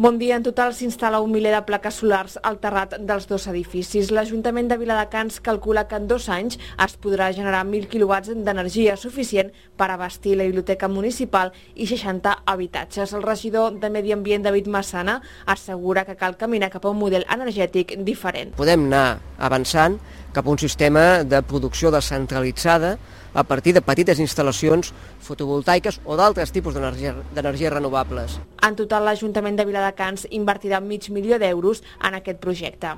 Bon dia. En total s'instal·la un miler de plaques solars al terrat dels dos edificis. L'Ajuntament de Viladecans calcula que en 2 anys es podrà generar 1.000 quilowatts d'energia suficient per abastir la biblioteca municipal i 60 habitatges. El regidor de Medi Ambient, David Massana, assegura que cal caminar cap a un model energètic diferent. Podem anar avançant cap a un sistema de producció descentralitzada a partir de petites instal·lacions fotovoltaiques o d'altres tipus d'energies renovables. En total, l'Ajuntament de Viladecans invertirà mig milió d'euros en aquest projecte.